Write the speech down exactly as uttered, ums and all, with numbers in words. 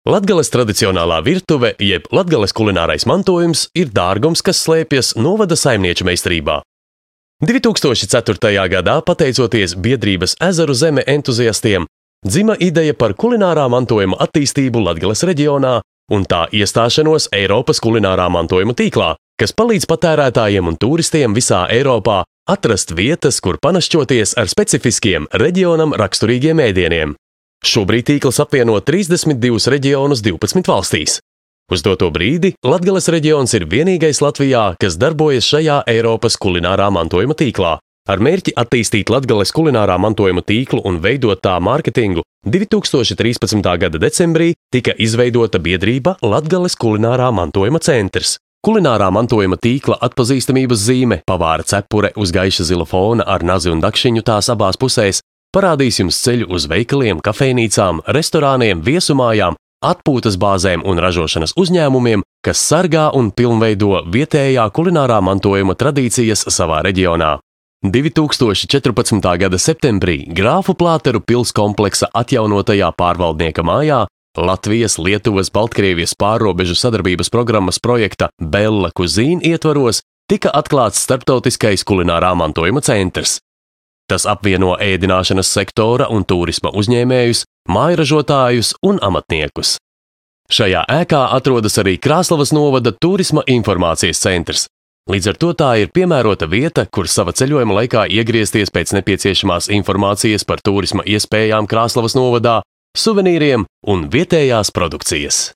Latgales tradicionālā virtuve, jeb Latgales kulinārais mantojums, ir dārgums, kas slēpjas novada saimnieču meistarībā. divi tūkstoši ceturtajā gadā, pateicoties biedrības Ezeru zeme entuziastiem, dzima ideja par kulinārā mantojuma attīstību Latgales reģionā un tā iestāšanos Eiropas kulinārā mantojuma tīklā, kas palīdz patērētājiem un turistiem visā Eiropā atrast vietas, kur panašķoties ar specifiskiem reģionam raksturīgiem ēdieniem. Šobrīd tīkls apvieno trīsdesmit divus reģionus divpadsmit valstīs. Uz doto brīdi Latgales reģions ir vienīgais Latvijā, kas darbojas šajā Eiropas kulinārā mantojuma tīklā. Ar mērķi attīstīt Latgales kulinārā mantojuma tīklu un veidot tā mārketingu, divi tūkstoši trīspadsmitā gada decembrī tika izveidota biedrība Latgales kulinārā mantojuma centrs. Kulinārā mantojuma tīkla atpazīstamības zīme, pavāra cepure uz gaiša zila fona ar nazi un dakšiņu tās abās pusēs, parādīs jums ceļu uz veikaliem, kafejnīcām, restorāniem, viesumājām, atpūtas bāzēm un ražošanas uzņēmumiem, kas sargā un pilnveido vietējā kulinārā mantojuma tradīcijas savā reģionā. divi tūkstoši četrpadsmitā gada septembrī Grāfu Plāteru pils kompleksa atjaunotajā pārvaldnieka mājā Latvijas, Lietuvas, Baltkrievijas pārrobežu sadarbības programmas projekta Bella Cuisine ietvaros tika atklāts starptautiskais kulinārā mantojuma centrs. Tas apvieno ēdināšanas sektora un turisma uzņēmējus, mājražotājus un amatniekus. Šajā ēkā atrodas arī Krāslavas novada turisma informācijas centrs. Līdz ar to tā ir piemērota vieta, kur sava ceļojuma laikā iegriezties pēc nepieciešamās informācijas par turisma iespējām Krāslavas novadā, suvenīriem un vietējās produkcijas.